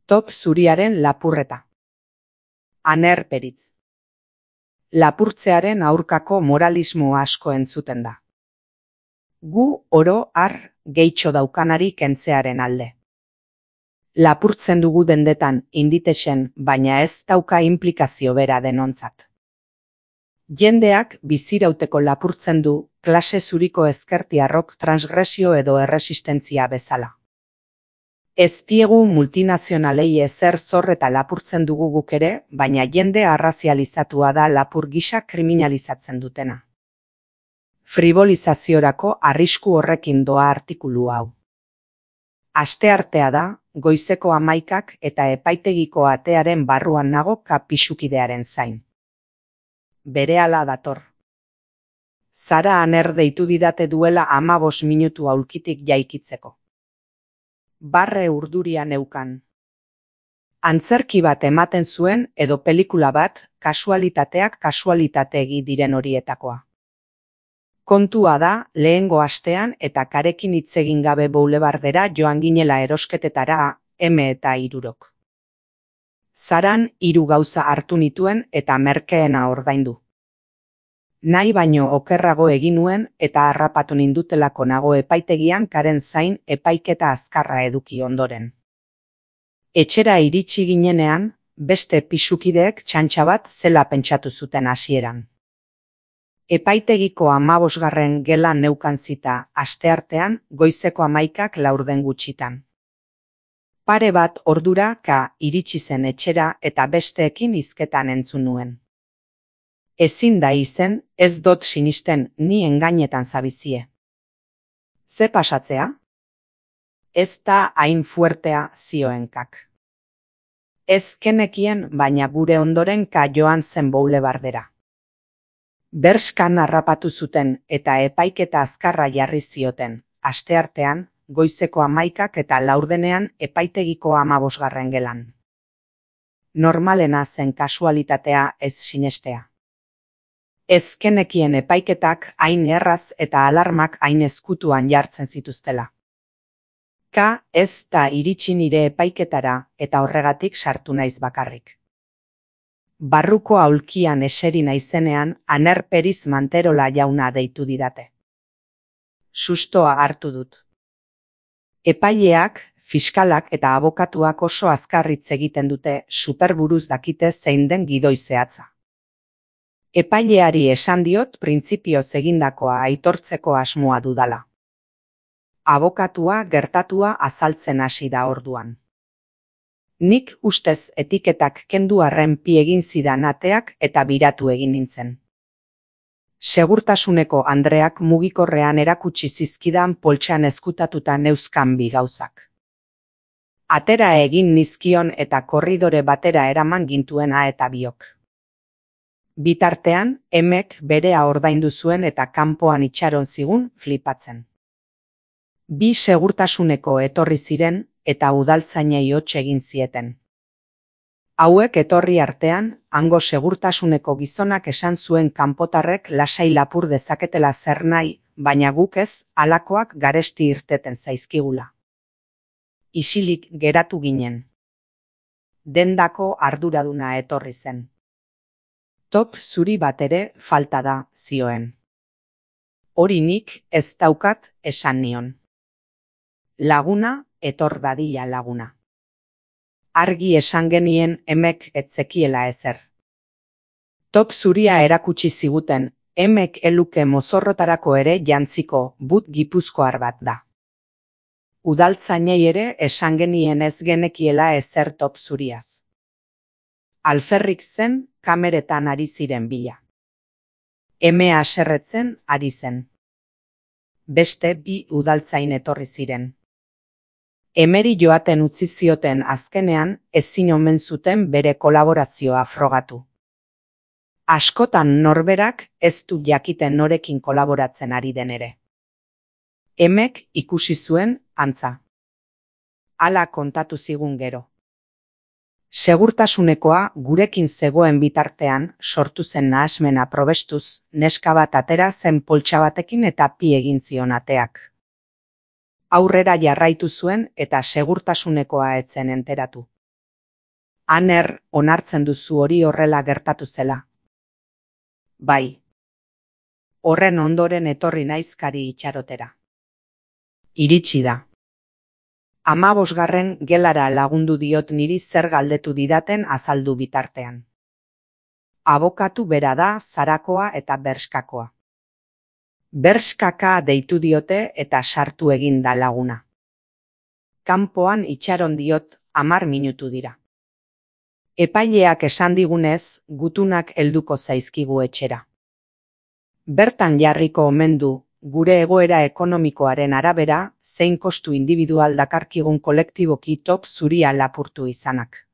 Top zuriaren lapurreta. Aner Peritz. Lapurtzearen aurkako moralismo asko entzuten da. Gu oro har gehitxo daukanari kentzearen alde. Lapurtzen dugu dendetan inditexen, baina ez dauka implikazio bera denontzat. Jendeak bizirauteko lapurtzen du klase zuriko ezkertiarrok transgresio edo erresistentzia bezala. Ez diegu multinazionalei ezer zor eta lapurtzen dugu guk ere, baina jende arrazializatua da lapur gisa kriminalizatzen dutena. Fribolizaziorako arrisku horrekin doa artikulu hau. Asteartea da, goizeko 11 eta epaitegiko atearen barruan nago kapisukidearen zain. Berehala dator. Zara Aner deitu didate duela 15 minutu aulkitik jaikitzeko. Barre urduria neukan. Antzerki bat ematen zuen edo pelikula bat, kasualitateak kasualitategi diren horietakoa. Kontua da, lehengo astean eta karekin hitz egin gabe boulevardera joan ginela erosketetara, eta 3. Zaran 3 gauza hartu nituen eta merkeena ordaindu. Nahi baino okerrago egin nuen eta harrapatu nindutelako nago epaitegian karen zain epaiketa azkarra eduki ondoren. Etxera iritsi ginenean, beste pisukideek txantxa bat zela pentsatu zuten hasieran. Epaitegiko 15. gelan neukan zita asteartean goizeko 11 laurden gutxitan. Pare bat ordura iritsi zen etxera eta besteekin hizketan entzun nuen. Ezin da izen, ez dot sinisten ni engainetan zabizie. Ze pasatzea? Ez da hain fuertea zioen kak. Ez kenekien baina gure ondoren joan zen boulevardera. Berskan harrapatu zuten eta epaiketa azkarra jarri zioten, asteartean, goizeko 11 eta laurdenean epaitegiko 15. gelan. Normalena zen kasualitatea ez sinestea. Ez kenekien epaiketak hain erraz eta alarmak hain ezkutuan jartzen zituztela. Ez da iritsi nire epaiketara eta horregatik sartu naiz bakarrik. Barruko aulkian eseri naizenean Aner Peritz Manterola jauna deitu didate. Sustoa hartu dut. Epaileak, fiskalak eta abokatuak oso azkar hitz egiten dute superburuz dakite zein den gidoi zehatza. Epaileari esan diot printzipioz egindakoa aitortzeko asmoa dudala. Abokatua gertatua azaltzen hasi da orduan. Nik ustez etiketak kendu arren pi egin zidan ateak eta biratu egin nintzen. Segurtasuneko andreak mugikorrean erakutsi zizkidan poltsan ezkutatuta neuzkan bi gauzak. Atera egin nizkion eta korridore batera eraman gintuena eta biok. Bitartean, emek berea ordaindu zuen eta kanpoan itxaron zigun flipatzen. Bi segurtasuneko etorri ziren eta udaltzainei hots egin zieten. Hauek etorri artean, hango segurtasuneko gizonak esan zuen kanpotarrek lasai lapur dezaketela zer nahi, baina guk ez, halakoak garesti irteten zaizkigula. Isilik geratu ginen. Dendako arduraduna etorri zen. Top zuri bat ere falta da, zioen. Hori nik ez daukat esan nion. Laguna, etor dadila laguna. Argi esan genien emek etzekiela ezer. Top zuria erakutsi ziguten, emek eluke mozorrotarako ere jantziko but gipuzkoar bat da. Udaltzainei ere esan genien ez genekiela ezer top zuriaz. Alferrik zen kameretan ari ziren bila. Emea haserretzen ari zen. Beste bi udaltzain etorri ziren. Emeri joaten utzi zioten azkenean ezin omen zuten bere kolaborazioa frogatu. Askotan norberak ez du jakiten norekin kolaboratzen ari den ere. Emek ikusi zuen antza. Hala kontatu zigun gero. Segurtasunekoa gurekin zegoen bitartean sortu zen nahasmena probestuz, neska bat atera zen poltsa batekin eta pi egin zion ateak. Aurrera jarraitu zuen eta segurtasunekoa etzen enteratu. Aner, onartzen duzu hori horrela gertatu zela? Bai. Horren ondoren etorri naizkari itxarotera. Iritsi da. 15. gelara lagundu diot niri zer galdetu didaten azaldu bitartean. Abokatu bera da Zarakoa eta Berskakoa. Berskaka deitu diote eta sartu egin da laguna. Kanpoan itxaron diot 10 minutu dira. Epaileak esan digunez, gutunak helduko zaizkigu etxera. Bertan jarriko omen du, gure egoera ekonomikoaren arabera, zein kostu individual dakarkigun kolektiboki top zuria lapurtu izanak.